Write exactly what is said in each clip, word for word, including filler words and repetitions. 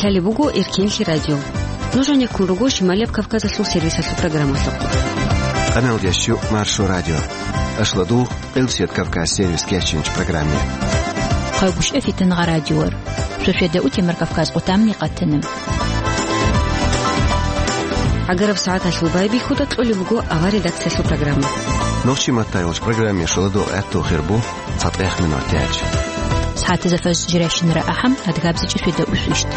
Гьале буго Эркенлъи радио. Нуж гьанеккун руго Шималияб Кавказалъул сервисалъул программалъухъ. Къаналдеш Маршо радио. Ашладу, Къилсият Кавказ сервис кечинч программе. Хъайгушев Фитангъа радиор. Шошеда утемар Кавказ къутамни къатана. Агараб сагӀаталъул байбихьуда кьолеб буго авар редакциялъул программа. Нохчи маттайолч программе шоладу гӀатту хирбу. ЦатӀех минутач. СагӀатазда фажр жирайщинара ахӀам, адгабзичӀи фида усвищт.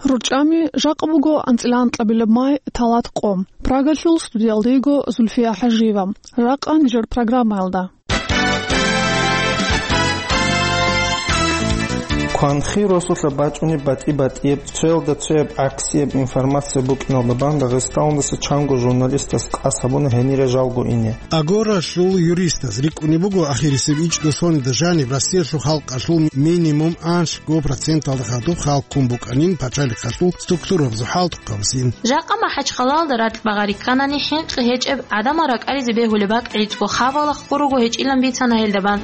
РучӀами жакъа буго анцӀила анкьабилеб май, талат къо. Прагалъул студиялда йиго Зульфия ХӀажиева. Жакъа нижер программаялда. Кванхи росулъа бачӀунеб батӀи-батӀияб, цоялда цояб гӀаксияб информация букӀиналда бан Дагъистаналдаса чанго журналистас къас гьабуна гьенире жалго ине. Агоралъул юристаз рикӀкӀунеб буго ахирисеб ичӀго соналда жаниб Россиялъул халкъалъул минимум анлъго проценталда хадуб халкъ ккун букӀанин пачалихъалъул структурабазул хӀалтӀухъабазин. Жакъа МахӀачхъалалда ракь багъари кканани, хӀинкъи гьечӀеб гӀадамал ракӀализе бегьулеб бакӀ гӀицӀго хабалахъго руго гьечӀилан бицана гьелда бан.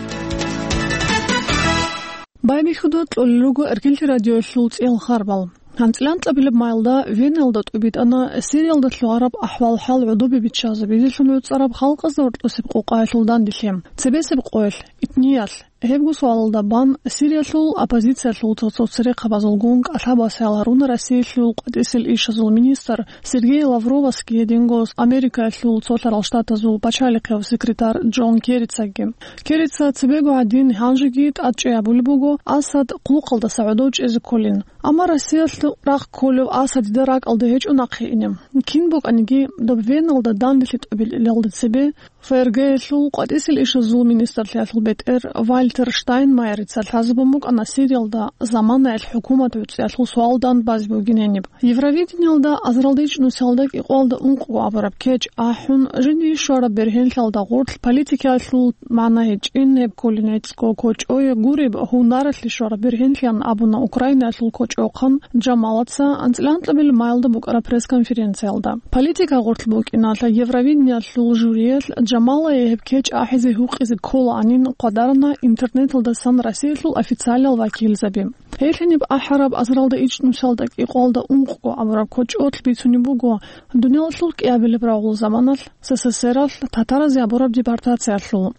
Байбихьуда кьолел руго Эркенлъи радиоялъул цӀиял харбал. АнцӀила анкьабилеб майда Веналда тӀубитӀана Сириялда лъугӀараб ахӀвал-хӀал гӀодобе биччазабизелъун гӀуцӀараб халкъазда гьоркьосеб къокъаялъул данделъи. Цебесеб къоялъ, итниялъ, гьебго суалалда бан Сириялъул оппозициялъул цо-цо церехъабазулгун кӀалъабасаял гьаруна Россиялъул къватӀисел ишазул министр Сергей Лавровасги гьединго Америкаялъул Цолъарал Штатазул пачалихъев секретарь Джон Керрицаги. Керрица цебего гьадин гьанжеги тӀадчӀей абулеб буго Асад хъулухъалдаса гӀодов чӀезе кколин. Амма Россиялъ рахъ кколев Асадида ракӀалде гьечӀо нахъе ине. Кин букӀаниги, доб Веналда данделъи тӀубилелалда цебе ФРГ-ялъул къватӀисел ишазул министрлъиялъул бетӀер Вальтер Штайнмайерица лъазабун букӀана Сириялда заманаялъ хӀукумат гӀуцӀиялъул суал дандбазе бугин гьениб. Евровидениялда азаралда ичӀнусиялда кӀикъоялда ункъго абураб кечӀ ахӀун, жиндие щвараб бергьенлъиялда гъорлъ политикаялъул магӀна гьечӀин гьеб кколин гӀицӀго кочӀое гуреб, гьунаралъе щвараб бергьенлъиян абуна Украинаялъул кочӀохъан Джамалаца анцӀила анкьабилеб майалда букӀараб пресс-конференциялда. Политика гъорлъ букӀиналъа Евровидениялъул жюриялъ Джамалае гьеб кечӀ ахӀизе гьукъизе кколаанин хъвадарана интернеталдасан Россиялъул официалиял вакилзаби. Гьелъ гьениб ахӀараб азаралда ичӀнусиялда кӀикъоялда ункъго абураб кочӀолъ бицунеб буго, дуниялалъул кӀиабилеб рагъул заманалъ СССРалъ татаразе гьабураб депортациялъул.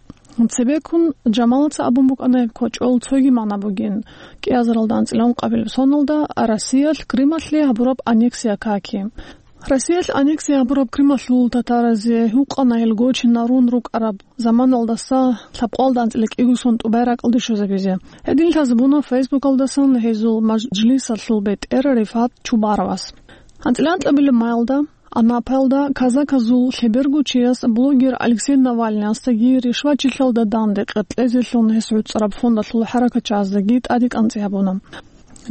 Цебеккун Джамалаца абун букӀана гьеб кочӀол цоги магӀна бугин, кӀиазаралда анцӀила ункъабилеб соналда Россиялъ Крымалъе гьабураб аннексия каки. Россиялъ аннексия гьабураб Крымалъул татаразе гьукъана гьел гочинарун рукӀараб заманалдаса лъабкъоялда анцӀила кӀиго сон тӀубай ракӀалде щвезабизе. Гьедин лъазабуна Фейсбукалдасан гьезул мажлисалъул бетӀер Рифат Чубаровас. АнцӀила анкьабилеб майалда Анапаялда казаказул лъеберго чияс блогер Алексей Навальныясдаги ришвачилъалда данде къеркьезелъун гьес гӀуцӀараб фондалъул хӀаракатчияздаги тӀаде кӀанцӀи гьабуна.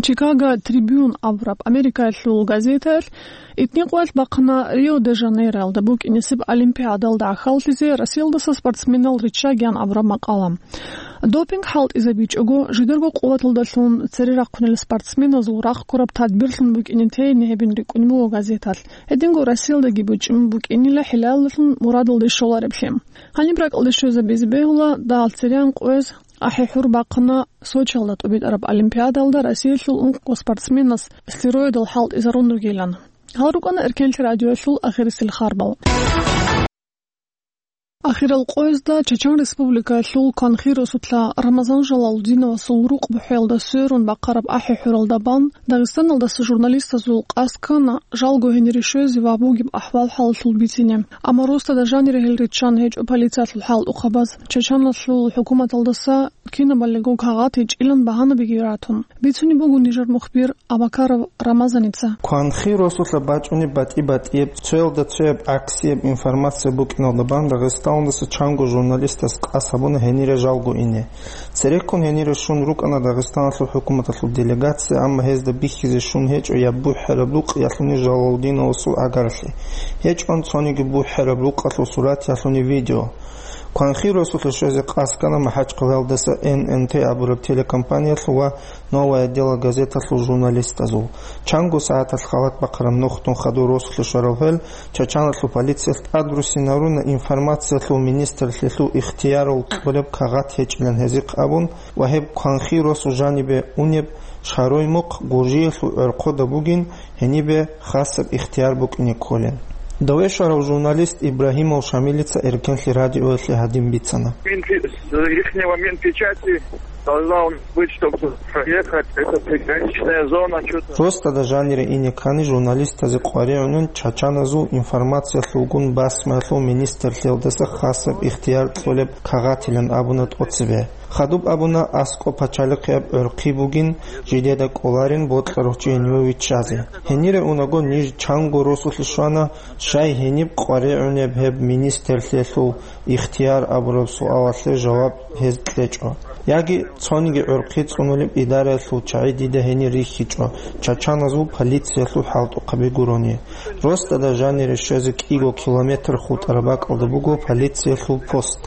Чикаго Трибюн абураб Америкаялъул газетаялъ итни къоялъ бахъана Рио-де-Жанейроялда букӀинесеб Олимпиадалда гӀахьаллъизе Россиялдаса спортсменал риччагиян абураб макъала. Допинг хӀалтӀизабичӀого, жидерго къуваталдалъун цере рахъунел спортсменазул рахъ ккураб тадбирлъун букӀине тейине гьебин рикӀкӀунеб буго газеталъ. Гьединго Россиялдаги бучӀун букӀинила хӀилалалъун мурадалде щолареблъи. Гьаниб ракӀалде щвезабизе бегьула, дагьал цереян къояз ахӀи-хӀур бахъана Сочиялда тӀубитӀараб Олимпиадалда Россиялъул ункъго спортсменас стероидал хӀалтӀизарун ругилан. Гьал рукӀана Эркенлъи радиоялъул ахирисел харбал. Ахирал къоязда Чечен Республикаялъул Кванхи росулъа Рамазан Жалалудиновасул рукъ бухӀеялда сверун бахъараб ахӀи-хӀуралда бан Дагъистаналдаса журналистазул къасд ккана жалго гьенире щвезе ва бугеб ахӀвал-хӀалалъул бицине. Амма росдада жанире гьел риччан гьечӀо полициялъул хӀалтӀухъабаз, Чеченалъул хӀукуматалдаса кинабалиго кагъат гьечӀилан багьанабиги ратун. Бицунеб буго нижер мухбир Абакаров Рамазаница. Кванхи росулъа бачӀунеб батӀи-батӀияб, цоялда цояб гӀаксияб информация букӀиналда бан Дагъистаналдаса чанго журналистас къас гьабуна гьенире жалго ине. Цереккун гьенире щун рукӀана Дагъистаналъул хӀукуматалъул делегация, амма гьезда бихьизе щун гьечӀо я бухӀараб рукъ, я лъуни Жалалудиновасул агаралъе. ГьечӀон цониги бухӀараб рукъалъул сурат, я лъуни видео. Кванхи росулъа щвезе къасд ккана МахӀачхъалаялдаса Н Н Т абураб телекомпаниялъул ва «Новое дело» газеталъул журналистазул. Чанго сагӀаталъ халат бахъараб нухдун хадур росулъе щварал гьел Чачаналъул полициялъ тӀадруссинаруна информациялъул министрлъиялъул ихтиярал кьолеб кагъат гьечӀилан гьезихъ абун ва гьеб кванхи росу жанибе унеб Шарой мухъ Гуржиялъул гӀорхъода бугин, гьенибе хасаб ихтияр букӀине кколел. Даве щварав журналист Ибрагьимов Шамилица Эркенлъи радиоялъе гьадин бицана. Минпи-, с ихнего Минпечати должна у нас быть, чтобы проехать, это приграничная зона, чё-то. Росдада жанире ине ккани журналистазе къваригӀунин чачаназул информациялъулгун басмаялъул министрлъиялдаса хасаб ихтияр кьолеб кагъатилан абуна тӀоцебе. Хадуб абуна, аскӀоб пачалихъияб гӀорхъи бугин, жидеда кӀоларин бокьарав чи гьениве виччазе. Гьенире унаго ниж чанго росулъе щвана, щай гьениб къваригӀунеб гьеб министрлъиялъул ихтияр абураб суалалъе жаваб гьез кьечӀо. Яги цониги гӀорхъи цӀунулеб идараялъул чагӀи дида гьенир рихьичӀо, чачаназул полициялъул хӀалтӀухъаби гурони. Росдада жанире щвезе кӀиго километр хутӀараб бакӀалда буго полициялъул пост.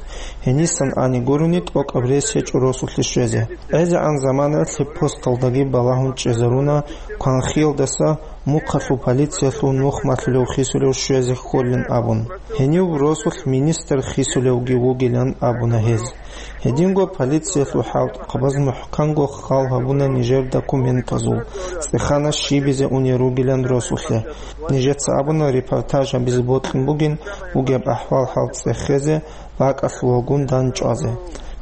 Гьенисан ани гурони тӀокӀаб рес гьечӀо росулъе щвезе. ГӀезегӀан заманаялъ гьеб посталдаги балагьун чӀезаруна кванхиялдаса мухъалъул полициялъул нух малъулев хисулев щвезе кколин абун. Гьенив росулъ министр хисулевги вугилан абуна гьез. Гьединго полициялъул хӀалтӀухъабаз мухӀканго хал гьабуна нижер документазул, цӀехана щибизе унел ругилан росулъе. Нижеца абуна, репортаж гьабизе бокьун бугин бугеб ахӀвал-хӀал цӀехезе, бакӀалъулагун дандчӀвазе.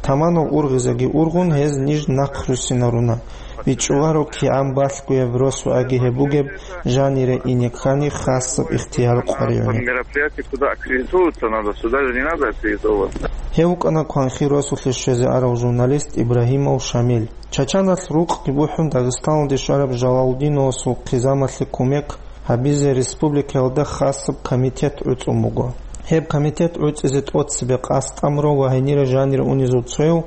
Таманал ургъизеги ургъун, гьез ниж нахъруссинаруна. БичӀчӀуларо кигӀан балъгояб росугӀаги гьеб бугеб жанире ине ккани хасаб ихтияр къваригӀуна. Мероприятие куда аккредитуются надо, сюда же не надо аккредитовываться. Гьев вукӀана кванхи росулъе щвезе арав журналист Ибрагьимов Шамил. Чачаналъ рукъги бухӀун Дагъистаналде щвараб Жалалудиновасул хъизамалъе кумек гьабизе республикаялда хасаб комитет гӀуцӀун буго. Гьеб комитет гӀуцӀизе тӀоцебе къасд амру ва гьенире жанир унезул цояв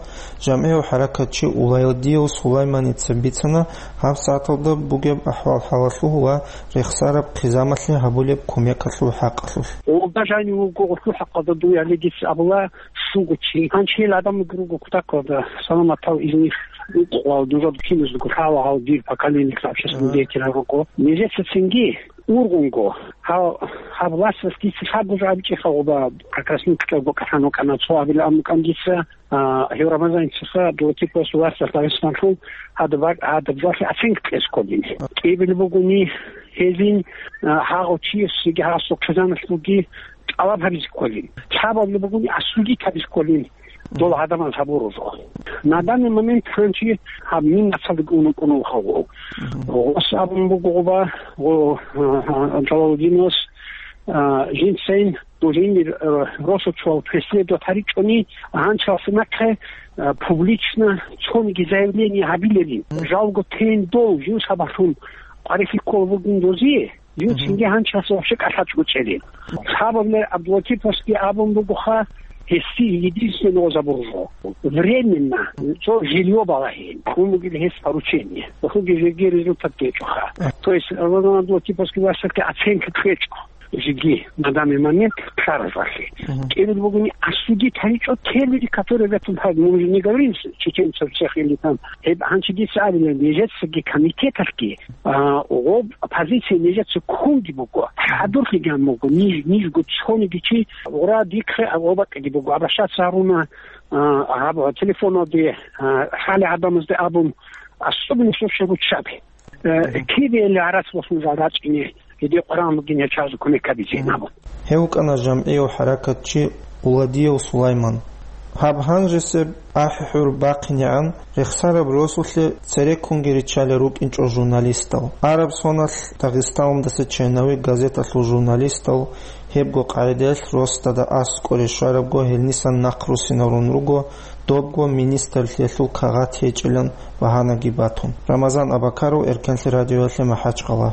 жамгӀияв хӀаракатчи Уладияв Сулайманица бицана гьаб сагӀаталда бугеб ахӀвал-хӀалалъул ва рехсараб хъизамалъе гьабулеб кумекалъул хӀакъалъулъ. Олда жанив вуго гъулъул хӀакъалда дуе гьале дица абула, щуго чи. Гьанчил гӀадамалги руго кутакалда, саламатал изних укъвал, нужеда киназдаго лъала гьал дир поколениялъул общественный деятель руго. Нижеца цинги ургъунго, гьав-, гьаб власталъ дица лъабго жо абичӀеха гъоба, как раз нуцӀа букӀа хӀанукӀана, цо абилан букӀан дица, а, гьев Рамазаницаха Абдулатиповас власталъ Дагъистаналъул гьадаб-, гьадаб жоялъе оценка кьезе кколин. КӀиябилеб бугони гьезин, а, гьагъав чиясеги гьасул хъизаналъулги тӀалаб гьабизе кколин. Лъабабилеб бугони осудить гьабизе кколин. Дола гӀадамаз гьабурузухъ. На данный момент гьанчи гьаб мин нацалдаги ункъун вугев. Мгм. Гъос абун буго гъоба, гъо-, а, а, Жалалудиновас, а, жинцайин дужинир, а, росочуял преследовать гьаричӀони, гьанчалса нахъе, а, публично цониги заявление гьабилерин. Мгм. Жалго тейин дол жин сабаблъун къварилъи ккола бугин дозие. Юцинги гьанчалъ вообще кӀалъачӀого чӀезе. Лъабабилеб Абдулатиповасги абун бугоха, гьесие единственный гъозабурузо. Временно, цо жилье балагье. Ккун бугеб гьес поручение. Хъуги жеги результат гьечӀоха. То есть, Рамазан Абдулатиповасги васалъе оценка кьечӀо. Жеги, на данный момент, ккаразалъе. КӀиябилеб бугони осудить гьаричӀо те люди, которые в этом, мы уже не говорим с чеченцев всех или там. Гьеб гьанчи дица абилеб, нижецаги комитеталъги А, гъоб позиция нижеца ккунги буго, хӀадурлъиги гьабун буго, ниж, нижго цониги чи гъура дихъе гъоб бакӀиги буго, обращаться гьаруна, а, гьаб телефоналде, а, хӀале гӀадамазде абун, особенно сосего чӀаби. Э, кибе гӀарац босун жал рачӀине, гьедин къваригӀун бугин гьечӀеб чиязе кумек гьабизе абун. Гьев вукӀана жамгӀияв хӀаракатчи Уладияв Сулайман. Гьаб гьанжесеб ахӀи-хӀур бахъинегӀан рехсараб росулъе цереккунги риччалел рукӀинчӀо журналистал. Араб соналъ Дагъистаналдаса чайнави газеталъул журналистал гьебго къагӀидаялъ росдада аскӀоре щварабго гьенисан нахъруссинарун руго, добго министрлъиялъул кагъат гьечӀилан багьанаги батун. Рамазан Абакаров, Эркенлъи радиоялъе МахӀачхъала.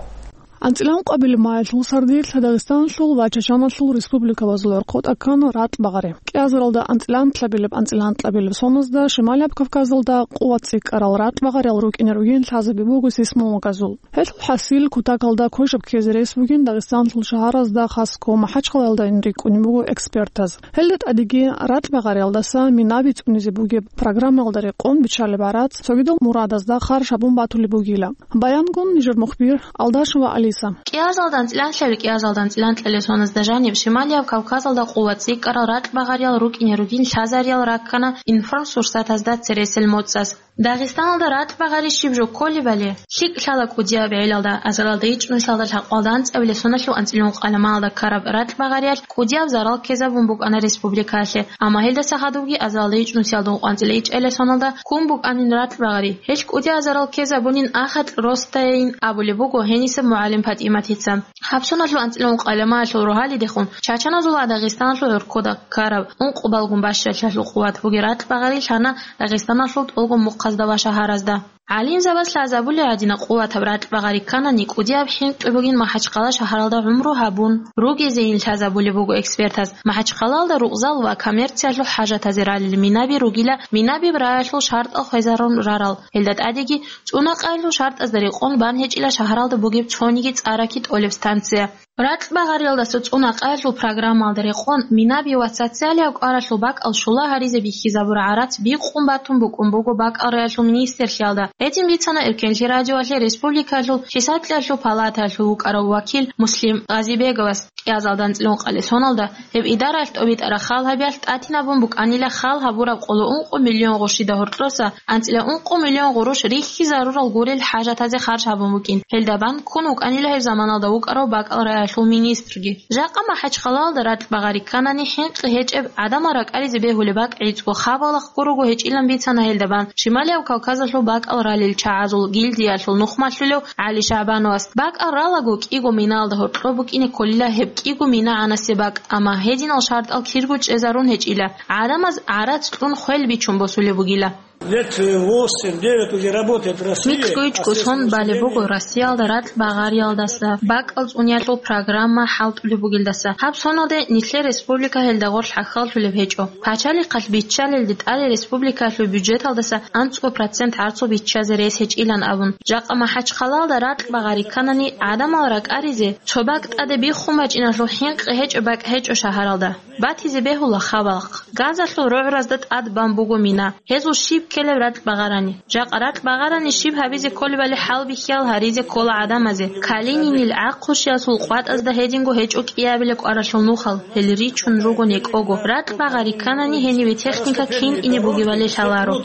АнцӀила ункъабилеб майилъул сардилъ Дагъистаналъул ва Чачаналъул республикабазул гӀорхъо тӀа ккана ратӀбагъари. КӀиазаралда анцӀила анлъабилеб-анцӀила анкьабилеб соназдаса Шималияб Кавказалда къуват цӀикӀкӀарал ратӀбагъариял рукӀине ругин лъазабизе буго сейсмологазул. Гьелъул хӀасил кутакалда квешаб ккезе рес бугин Дагъистаналъул шагьаразда, хасго МахӀачхъалаялда рикӀкӀунеб буго экспертаз. Гьелда тӀадеги ратӀбагъариялдаса минаби цӀунизе бугеб программаялда рекъон биччалеб гӀарац цогидал мурадазда харж гьабун батулеб бугила. Баянгун нижер мухбир Алдашева Алиса. КӀиазалда анцӀила анлъабилеб, кӀиазалда анцӀила анкьабилеб соназда жаниб Шималияб Кавказалда къуват цӀикӀкӀарал ратӀбагъариял рукӀине ругин лъазариял раккана информсурсатазда цересел моцӀаз. Дагъистаналда ратӀбагъари щиб жо кколебали, лъикӀ лъала кӀудияб гӀелалда, азаралда ичӀнусиялда лъабкъоялда анцӀабилеб соналъул анцӀила ункъабилеб майилда ккараб ратӀбагъариялъ кӀудияб зарал ккезабун букӀана республикалъе. Амма гьелдаса хадубги азаралда ичӀнусиялда ункъоялда анцӀила ичӀабилеб соналда ккун букӀанин ратӀбагъари. Гьелъ кӀудияб зарал ккезабунин ахатӀ росдайин абулеб буго гьенисеб мугӀалим ПатӀиматица. Гьаб соналъул анцӀила ункъабилеб майилъул рогьалидехун, чачаназул ва Дагъистаналъул гӀорхъода ккараб ункъабилеб бащалъиялъул къуват бугеб ратӀбагъари лъана Дагъистаналъул тӀолго мухъазда ва шагьаразда. ГӀалимзабаз лъазабулеб гӀадинаб къуватаб ратӀбагъари кканани, кӀудияб хӀинкъи бугин МахӀачхъала шагьаралда гӀумру гьабун ругезейин лъазабулеб буго экспертаз. МахӀачхъалаялда рукъзал ва коммерциялъул хӀажатазе ралел минаби ругила, минабияб раялъул шартӀал хвезарун рарал, гьелда тӀадеги цӀунакъаялъул шартӀазда рекъон бан гьечӀила шагьаралда бугеб цониги цӀараки тӀолеб станция. РатӀбагъариялдаса цӀунакъаялъул программаялда рекъон, минаби ва социалияб кӀваралъул бакӀал щула гьаризе бихьизабураб гӀарац бикъун батун букӀун буго бакӀал раялъул министрлъиялда. Гьедин бицана Эркенлъи радиоялъе республикаялъул хӀисаблъиялъул палатаялъул вукӀарав вакил Муслим Гъазибеговас. КӀиазалда анцӀила ункъабилеб соналда гьеб идараялъ тӀобитӀараб хал гьабиялъ тӀатинабун букӀанила хал гьабураб къоло ункъо миллион гъурущида гьоркьоса анцӀила ункъо миллион гъурущ рихьизарурал гурел хӀажатазе харж гьабун букӀин. Гьелда бан ккун вукӀанила гьеб заманалда вукӀарав бакӀал раялъул министрги. Жакъа МахӀачхъалаялда ратӀбагъари кканани хӀинкъи гьечӀеб, гӀадамал ракӀаризе бегьулеб бакӀ гӀицӀго хабалахъ гурого гьечӀилан бицана гьелда бан Шималияб Кавказалъул бакӀал ралел чагӀазул гильдиялъул нухмалъулев ГӀали ШагӀбановас. БакӀал ралаго кӀиго минаялда гьоркьоб букӀине кколила гьеб кӀиго мина гӀанасеб бакӀ, амма гьединал шартӀал кирго чӀезарун гьечӀила, гӀадамаз гӀарац кьун хвел бичун босулеб бугила. Лет восемь-девять уже работает в России. МикӀго-ичӀго сон балеб буго Россиялда ратӀбагъариялдаса бакӀал цӀуниялъул программа хӀалтӀулеб бугелдаса. Гьаб соналде нилъер республика гьелда гъорлъ хӀахьаллъулеб гьечӀо. Пачалихъалъ биччалелде тӀаде республикаялъул бюджеталдаса анцӀго процент гӀарцул биччазе рес гьечӀилан абун. Жакъа МахӀачхъалаялда ратӀбагъари кканани, гӀадамал ракӀаризе цо бакӀ тӀаде биххун бачӀиналъул хӀинкъи гьечӀеб бакӀ гьечӀо шагьаралда. Батизе бегьула хабалахъ. Газалъул рогӀразда тӀад бан буго мина. Гьезул щиб ккелеб ратӀбагъарани? Жакъа ратӀбагъарани щиб гьабизе кколебали хӀалбихьиял гьаризе ккола гӀадамазе. Калининил гӀахъущиялъул къватӀазда гьединго гьечӀо кӀиабилеб кӀваралъул нухал, гьел ричун руго некӀого. РатӀбагъари кканани гьенибе техника кин ине бугебали лъаларо.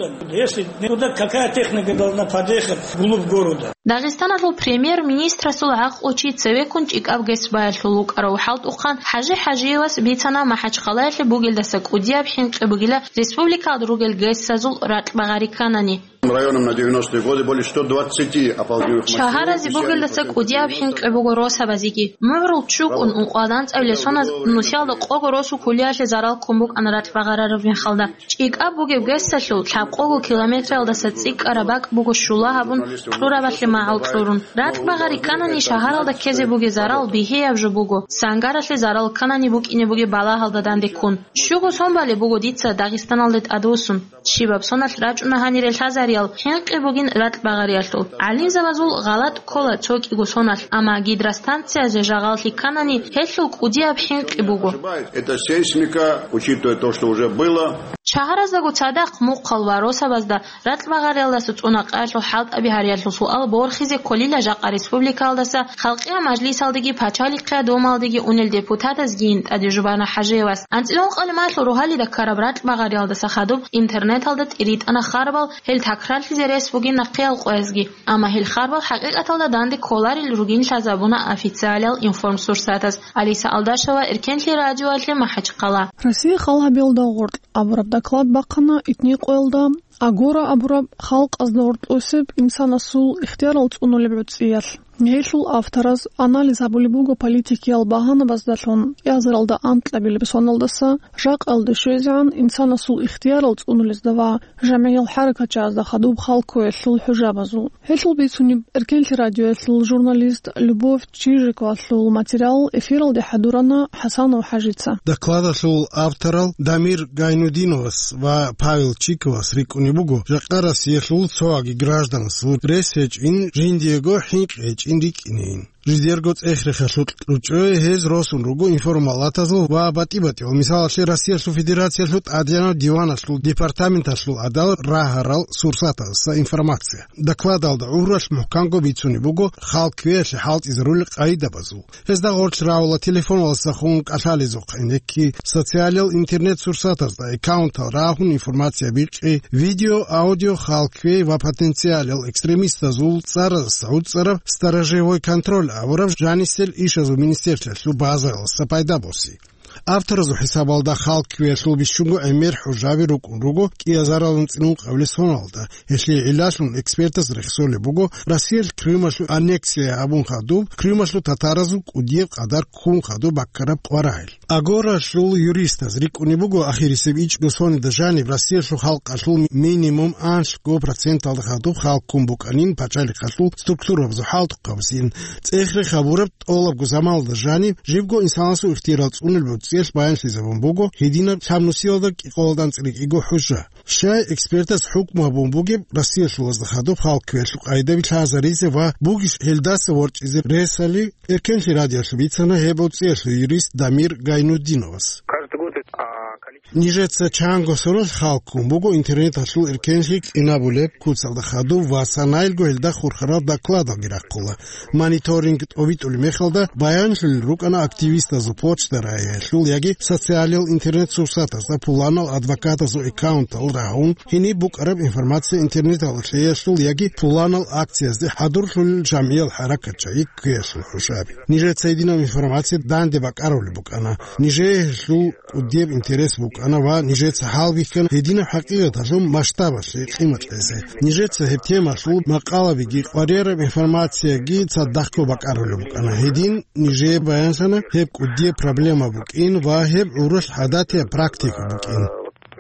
Если туда какая техника должна подъехать вглубь города? Дагъистаналъул премьер-министрасул гӀакълучи цевеккун ЧӀикӀаб ГЭС баялъул вукӀарав хӀалтӀухъан ХӀажи ХӀажиевас бицана МахӀачхъалаялъе бугелдаса кӀудияб хӀинкъи бугила республикалда ругел ГЭС-азул ратӀбагъари кканани. Районом на девяностые годы более ста двадцати оползневых машин. Шагьаразе бугелдаса кӀудияб хӀинкъи буго росабазеги. МугӀрул чӀукӀун ункъоялда анцӀабилеб соназ нусиялда къого росу кулиялъе зарал ккун букӀана ратӀбагъарараб мехалда. ЧӀикӀаб бугеб ГЭС-алъул лъабкъого километралдаса цӀикӀкӀараб бакӀ буго щула гьабун кьурабалъе магӀал кьурун. РатӀбагъари кканани шагьаралда ккезе бугеб зарал бигьияб жо буго, сангаралъе зарал кканани букӀине бугеб балагьалда данде ккун. Щуго сон балеб буго дица Дагъистаналде тӀадвуссун. Щибаб соналъ рачӀуна гьанире лъазариял хӀинкъи бугин ратӀбагъариялъул. ГӀалимзабазул гъалатӀ ккола цо кӀиго соналъ, амма гидростанциязе жагъаллъи кканани, гьелъул кӀудияб хӀинкъи буго. Это сейсмика, учитывая то, что уже было. Шагьараздаго цадахъ мухъал ва росабазда ратӀбагъариялдаса цӀунакъаялъул хӀалтӀаби гьариялъул суал борхизе кколила жакъа республикаялдаса Халкъиял мажлисалдеги Пачалихъ Думалдеги унел депутатазгийин тӀаде Жубана ХӀажиевас. АнцӀила ункъабилеб майилъул рогьалида ккараб ратӀбагъариялдаса хадуб интернеталда тӀиритӀана харбал, гьел такрарлъизе рес бугин нахъеял къоязги. Амма гьел харбал хӀакъикъаталда данде кколарел ругин лъазабуна официалиял информсурсатаз. Алиса Алдашева, Эркенлъи радиоялъе, МахӀачхъала. Россия хал гьабиялда гъоркь абураб доклад бахъана итни къоялда Агора абураб халкъазда гьоркьосеб инсанасул ихтиярал цӀунулеб гӀуцӀиялъ. Гьелъул автораз анализ гьабулеб буго политикиял багьанабаздалъун кӀиазаралда анкьабилеб соналдаса жакъалде щвезегӀан инсанасул ихтиярал цӀунулезда ва жамгӀиял хӀаракатчагӀазда хадуб халккоялъул хӀужабазул. Гьелъул бицунеб Эркенлъи радиоялъул журналист Любовь Чижиковалъул материал эфиралде хӀадурана ХӀасанов ХӀажица. Докладалъул авторал Дамир Гайнудиновас ва Павел Чиковас рикӀкӀунеб буго, жакъа Россиялъул цоги гражданасул рес гьечӀин, жиндиего хӀинкъи гьечӀин рикӀкӀинейин. Жидерго цӀех-рехалъул кьучӀое гьез росун руго информалатазул ва батӀи-батӀиял, мисалалъе, Россиялъул Федерациялъул ТӀадегӀанав диваналъул департаменталъул гӀадал рагьарал сурсатазда информация. Докладалда гӀуралъ мухӀканго бицунеб буго халкквеялъе хӀалтӀизарулел къайдабазул. Гьезда гъорлъ рагьула телефоналдаса хун кӀалъалезухъе инекки, социалиял интернет-сурсатазда аккаунтал рагьун информация бикъи, видео, аудио халкквей ва потенциалиял экстремистазул цӀаразда гӀуцӀараб сторожевой контроль абураб жанисел ишазул министерствоялъул базаялдаса пайда боси. Авторазул хӀисабалда халкквеялъул бищунго гӀемер хӀужаби рукӀун руго кӀиазаралда анцӀила ункъабилеб соналда. Гьелъие гӀиллалъун экспертаз рехсолеб буго Россиялъ Крымалъул аннексия гьабун хадуб, Крымалъул татаразул кӀудияб къадар ккун хадуб баккараб къварагӀел. Агоралъул юристаз рикӀкӀунеб буго ахирисеб ичӀго соналда жаниб Россиялъул халкъалъул минимум анлъго проценталда хадуб халккун букӀанин пачалихъалъул структурабазул хӀалтӀухъабазин. ЦӀех-рех гьабураб тӀолабго заманалда жаниб, жибго инсанасул ихтиярал цӀунулеб гӀуцӀиялъ баянлъизабун буго гьединаб лъабнусиялда кӀикъоялда анцӀила кӀиго хӀужа. Щай экспертаз хӀукму гьабун бугеб Россиялъулазда хадуб халкквеялъул къайдаби лъазаризе ва бугищ гьелдаса ворчӀизе ресали, Эркенлъи радиоялъ бицана гьеб гӀуцӀиялъул юрист Дамир Гайнудиновас. Каждый год, а, количество Нижеца чанго соналъ халккун буго интернеталъул эркенлъи кьинабулеб куцалда хадуб ва санаялго гьелда хурхарал докладалги рахъула. Мониторинг тӀобитӀулеб мехалда баянлъулел рукӀана активистазул почта рагьиялъул яги социалиял интернет-сурсатазда пуланал адвокатазул аккаунтал рагьун, гьениб букӀараб информация интернеталда лъеялъул яги пуланал акциязде хӀадурлъулел жамгӀиял хӀаракатчагӀи ккеялъул хӀужаби. Нижеца гьединаб информация данде бакӀарулеб букӀана. Нижее гьелъул кӀудияб интерес букӀана ва нижеца хӀалбихьана гьединаб хӀакъикъаталъул масштабалъе къимат кьезе. Нижеца гьеб темалъул макъалабиги къваригӀараб информацияги цадахъго бакӀарулеб букӀана. Гьедин нижее баянлъана гьеб кӀудияб проблема букӀин ва гьеб гӀуралъ гӀадатияб практика букӀин.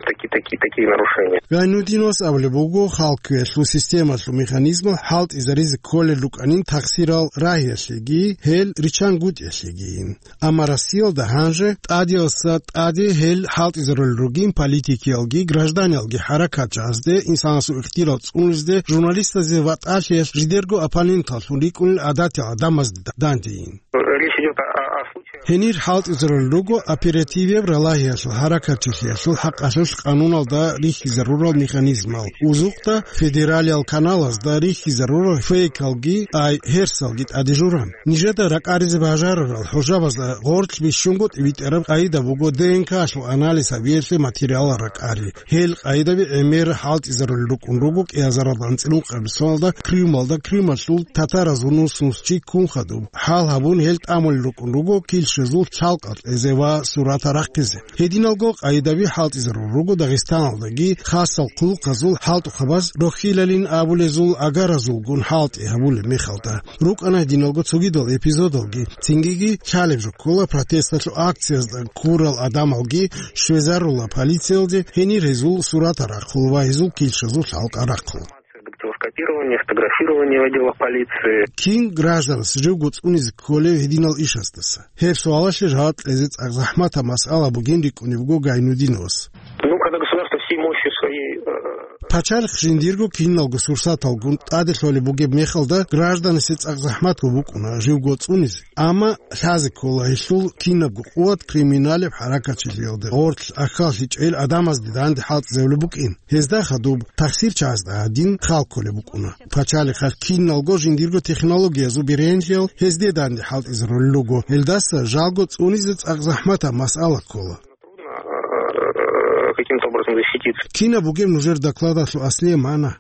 Такие, такие, такие нарушения. Гайнудиновас абулеб буго, халкквеялъул системалъул механизмал хӀалтӀизаризе кколел рукӀанин тахсирал рагьиялъеги, гьел риччангутӀиялъегийин. Амма Россиялда гьанже тӀадеялъа тӀаде гьел хӀалтӀизарулел ругин политикиялги гражданиялги хӀаракатчагӀазде, инсанасул ихтиярал цӀунулезде, журналистазе ватӀалъиялъ жидерго оппоненталлъун рикӀкӀунел гӀадатиял гӀадамазде дандейин. Речь идёт о, о, о случаях. Гьенир хӀалтӀизарулел руго оперативияб ралагьиялъул хӀаракатчилъиялъул хӀакъалъулъ къануналда рихьизарурал механизмал, узухъда федералиял каналазда рихьизарурал фейкалги, ай, гьерсалги тӀаде журан. Нижеда ракӀаризе бажарарал хӀужабазда гъорлъ бищунго тӀибитӀараб къайда буго ДНК-лъул анализ гьабиялъе материалал ракӀари. Гьел къайдаби гӀемер хӀалтӀизарулел рукӀун руго кӀиазаралда анцӀила ункъабилеб соналда Крымалда Крымалъул татараз вуссун чи ккун хадуб. ХӀал гьабун гьел тӀамулел рукӀун руго килщазул лъалкъал кьезе ва суратал рахъизе. Гьединалго къайдаби хӀалтӀизарулел руго Дагъистаналдаги, хасал хъулухъазул хӀалтӀухъабаз рохьилалин абулезул агаразулгун хӀалтӀи гьабулеб мехалда. РукӀана гьединалго цогидал эпизодалги, цинги лъалеб жо ккола протесталъул акциязда ккурал гӀадамалги щвезарула полициялде, гьенир гьезул суратал рахъула ва гьезул килщазул лъалкъал рахъула. Копирование, фотографирование в отделах полиции. Кин гражданас живго цӀунизе кколев гьединал ишаздаса? Гьеб суалалъе жаваб кьезе цӀакъ захӀматаб масъала бугин рикӀкӀунеб буго Гайнудиновас. Ну, когда государство всей мощью своей, э, Пачалихъ жиндирго киналго сурсаталгун тӀаде лъолеб бугеб мехалда, гражданасе цӀакъ захӀматго букӀуна живго цӀунизе. Амма лъазе ккола гьелъул кинабго къуват криминалеб хӀаракатчилъиялда гъорлъ ахьаллъичӀел гӀадамазде данде хӀалтӀизабулеб букӀин. Гьезда хадуб тахсирчагӀазда гьадин хал кколеб букӀуна. Пачалихъалъ киналго жиндирго технологиязул бергьенлъиял гьезде данде хӀалтӀизарулел руго. Гьелдаса жалго цӀунизе цӀакъ захӀматаб масъала ккола. Трудно, э, каким-то образом защититься. Кинаб бугеб нужер докладалъул аслияб магӀна?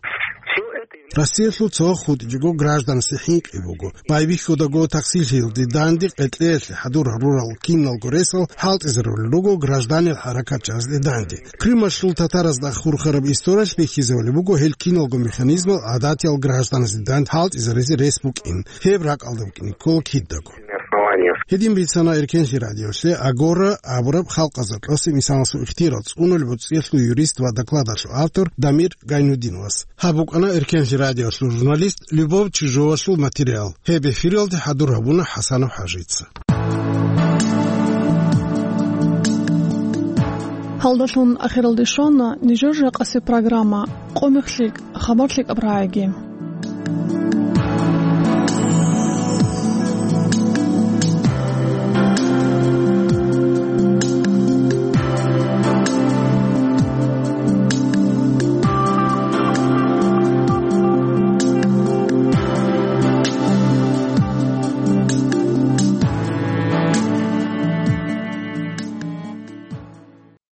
Всё это Россиялъул цо хутӀичӀого гражданасде хӀинкъи буго. Байбихьудаго тахсиллъиялде данде къеркьеялъе хӀадур гьарурал киналго ресал хӀалтӀизарулел руго гражданил хӀаракатчиязде данде. Крымалъул татаразда хурхараб историялъ бихьизабулеб буго гьел киналго механизмал гӀадатиял гражданасде данде хӀалтӀизаризе рес букӀин. Гьеб ракӀалда букӀине ккола кидаго. Гьедин бицана Эркенлъи радиолъе «Агора» абураб халкъазда тӀаса инсанасул ихтияр цӀунулеб боцӀиялъул юрист ва докладалъул автор Дамир Гайнудиновас. Гьаб букӀана Эркенлъи радиолъул журналист Любовь Чижовалъул материал. Гьеб эфиралде хӀадур гьабуна ХӀасанов ХӀажица. Гьалдалъун ахиралде щвана нижер жакъасеб программа «Къо мехлъи, хабар лъикӀаб рагӀиги».